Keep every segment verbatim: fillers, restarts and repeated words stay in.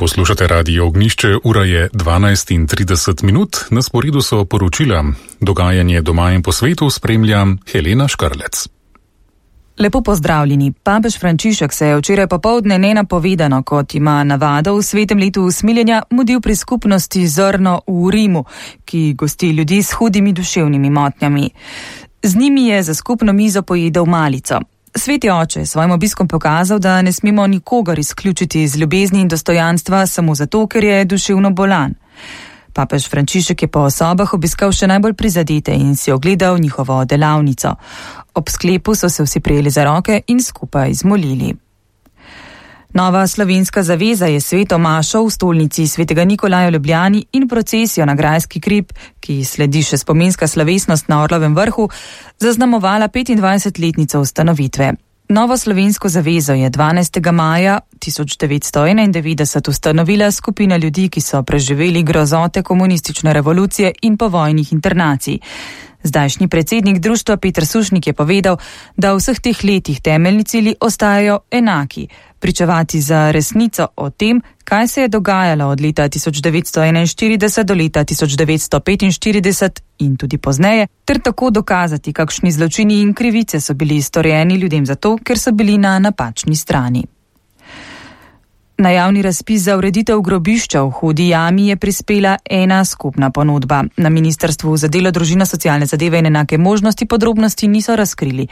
Poslušate Radio Ognjišče, ura je dvanajst in trideset minut, na sporedu so poročila. Dogajanje doma in po svetu spremlja Helena Škarlec. Lepo pozdravljeni. Papež Frančišek se je včeraj popoldne nenapovedano, kot ima navado v svetem letu usmiljenja, mudil pri skupnosti Zrno v Rimu, ki gosti ljudi s hudimi duševnimi motnjami. Z njimi je za skupno mizo pojedel malico. Sveti oče je svojim obiskom pokazal, da ne smemo nikogar izključiti iz ljubezni in dostojanstva samo zato, ker je duševno bolan. Papež Frančišek je po osobah obiskal še najbolj prizadete in si ogledal njihovo delavnico. Ob sklepu so se vsi prijeli za roke in skupaj zmolili. Nova slovenska zaveza je sveto mašo v stolnici svetega Nikolaja v Ljubljani in procesijo na Grajski hrib, ki sledi še spominska slovesnost na Orlovem vrhu, zaznamovala petindvajsetletnico ustanovitve. Novo slovensko zavezo je dvanajstega maja tisoč devetsto enaindevetdeset ustanovila skupina ljudi, ki so preživeli grozote komunistične revolucije in povojnih internacij. Zdajšnji predsednik društva Peter Sušnik je povedal, da v vseh teh letih temeljni cilji ostajajo enaki, pričevati za resnico o tem, kaj se je dogajalo od leta tisoč devetsto enainštirideset do leta tisoč devetsto petinštirideset in tudi pozneje, ter tako dokazati, kakšni zločini in krivice so bili storjeni ljudem zato, ker so bili na napačni strani. Na javni razpis za ureditev grobišča v Hudi jami je prispela ena skupna ponudba. Na Ministrstvu za delo, družino, socialne zadeve in enake možnosti podrobnosti niso razkrili.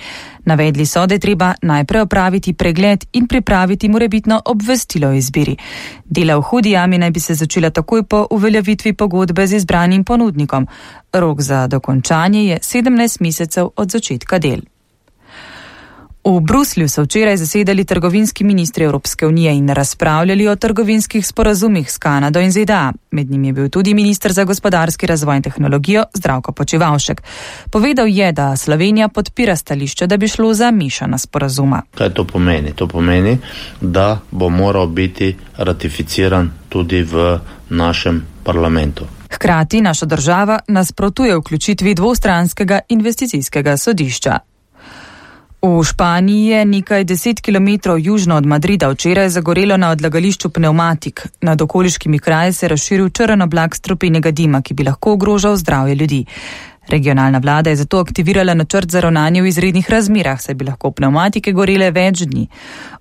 Navedli so, da je treba najprej opraviti pregled in pripraviti morebitno obvestilo o izbiri. Dela v Hudi jami naj bi se začela takoj po uveljavitvi pogodbe z izbranim ponudnikom. Rok za dokončanje je sedemnajst mesecev od začetka del. V Bruslju so včeraj zasedali trgovinski ministri Evropske unije in razpravljali o trgovinskih sporazumih s Kanado in Z D A. Med njimi je bil tudi minister za gospodarski razvoj in tehnologijo Zdravko Počivalšek. Povedal je, da Slovenija podpira stališče, da bi šlo za mešana sporazuma. Kaj to pomeni? To pomeni, da bo moral biti ratificiran tudi v našem parlamentu. Hkrati naša država nasprotuje vključitvi dvostranskega investicijskega sodišča. V Španiji je nekaj deset kilometrov južno od Madrida včeraj zagorelo na odlagališču pnevmatik. Nad okoliškimi kraji se je razširil črn oblak strupenega dima, ki bi lahko ogrožal zdravje ljudi. Regionalna vlada je zato aktivirala načrt za ravnanje v izrednih razmerah, saj bi lahko pnevmatike gorele več dni.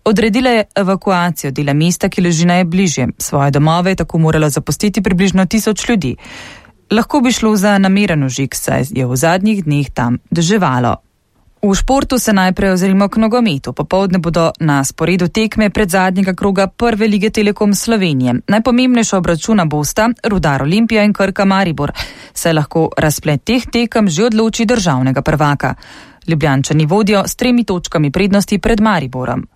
Odredila je evakuacijo dela mesta, ki leži najbližje. Svoje domove je tako moralo zapustiti približno tisoč ljudi. Lahko bi šlo za nameren ožig, saj je v zadnjih dneh tam deževalo. V športu se najprej ozremo k nogometu. Popoldne bodo na sporedu tekme pred zadnjega kroga prve lige Telekom Slovenije. Najpomembnejša obračuna bosta Rudar Olimpija in Krka Maribor. Se lahko razplet teh tekem že odloči državnega prvaka. Ljubljančani vodijo s tremi točkami prednosti pred Mariborom.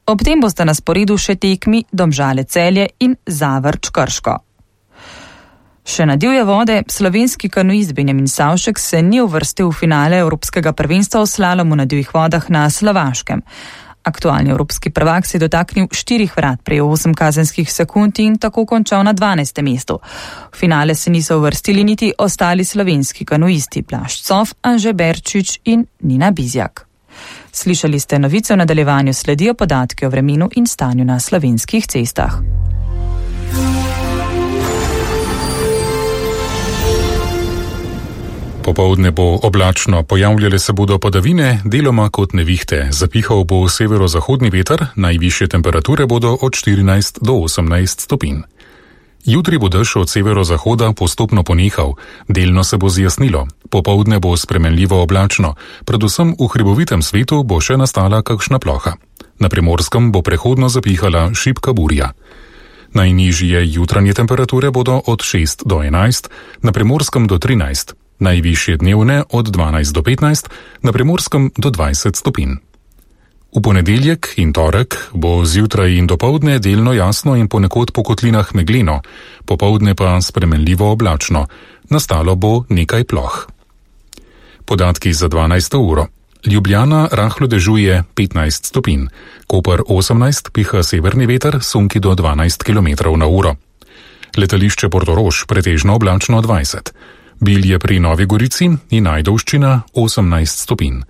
Ob tem bosta na sporedu še tekmi Domžale Celje in Zavrč Krško. Še na divje vode, slovenski kanuist Benjamin Savšek se ni uvrstil v finale Evropskega prvenstva v slalomu na divjih vodah na Slovaškem. Aktualni evropski prvak se je dotaknil štirih vrat, prejel osem kazenskih sekund in tako končal na dvanajstem mestu. V finale se niso uvrstili niti ostali slovenski kanuisti Blaž Cof, Anže Berčič in Nina Bizjak. Slišali ste novice, v nadaljevanju sledijo podatki o vremenu in stanju na slovenskih cestah. Popoldne bo oblačno, pojavljale se bodo padavine, deloma kot nevihte. Zapihal bo severozahodni veter, najvišje temperature bodo od štirinajst do osemnajst stopinj. Jutri bo dež od severozahoda postopno ponehal, delno se bo zjasnilo. Popoldne bo spremenljivo oblačno, predvsem v hribovitem svetu bo še nastala kakšna ploha. Na Primorskem bo prehodno zapihala šibka burja. Najnižje jutranje temperature bodo od šest do enajst, na Primorskem do trinajst. Najvišje dnevne od dvanajst do petnajst, na Primorskem do dvajset stopinj. V ponedeljek in torek bo zjutraj in dopoldne delno jasno in ponekod po kotlinah megleno, popoldne pa spremenljivo oblačno, nastalo bo nekaj ploh. Podatki za dvanajsto uro. Ljubljana rahlo dežuje petnajst stopinj, Koper osemnajst, piha severni veter, sunki do dvanajst kilometrov na uro. Letališče Portorož pretežno oblačno dvajset. Bilje pri Novi Gorici in Ajdovščina osemnajst stopinj.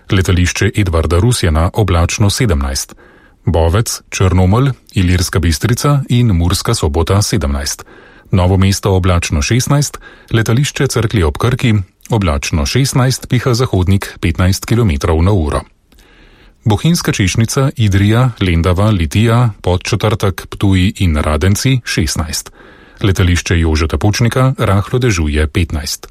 Letališče Edvarda Rusjana oblačno sedemnajst. Bovec, Črnomelj, Ilirska Bistrica in Murska Sobota sedemnajst. Novo mesto oblačno šestnajst, letališče Cerklje ob Krki, oblačno šestnajst, piha zahodnik petnajst kilometrov na uro. Bohinjska Češnica, Idrija, Lendava, Litija, Podčetrtek, Ptuj in Radenci šestnajst. Letališče Jožeta Pučnika rahlo dežuje petnajst.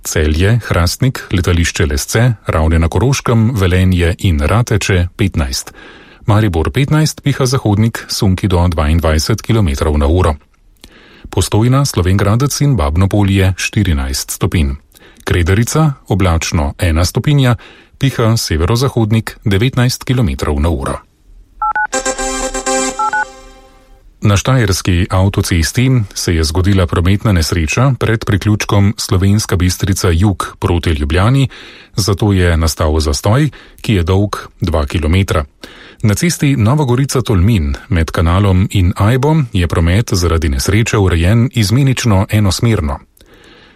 Celje, Hrastnik, letališče Lesce, Ravne na Koroškem, Velenje in Rateče petnajst. Maribor petnajst, piha zahodnik, sunki do dvaindvajset kilometrov na uro. Postojna, Slovenj Gradec in Babno Polje štirinajst stopinj. Kredarica, oblačno ena stopinja, piha severozahodnik devetnajst kilometrov na uro. Na štajerski avtocesti se je zgodila prometna nesreča pred priključkom Slovenska Bistrica jug proti Ljubljani, zato je nastal zastoj, ki je dolg dva kilometra. Na cesti Nova Gorica-Tolmin med kanalom in Ajbo je promet zaradi nesreče urejen izmenično enosmerno.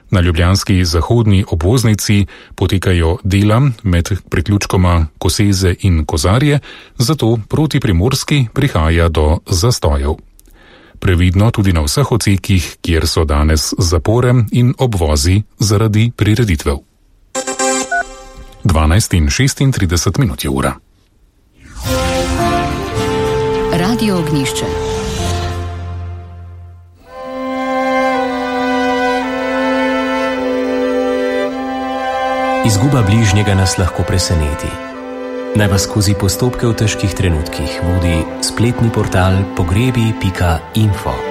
Na ljubljanski zahodni obvoznici potekajo dela med priključkoma Koseze in Kozarje, zato proti Primorski prihaja do zastojev. Previdno tudi na vseh odsekih, kjer so danes zapore in obvozi zaradi prireditev. dvanajst in šestintrideset minut je ura. Radio Ognjišče. Izguba bližnjega nas lahko preseneti. Naj vas skozi postopke v težkih trenutkih vodi spletni portal pogrebi pika info.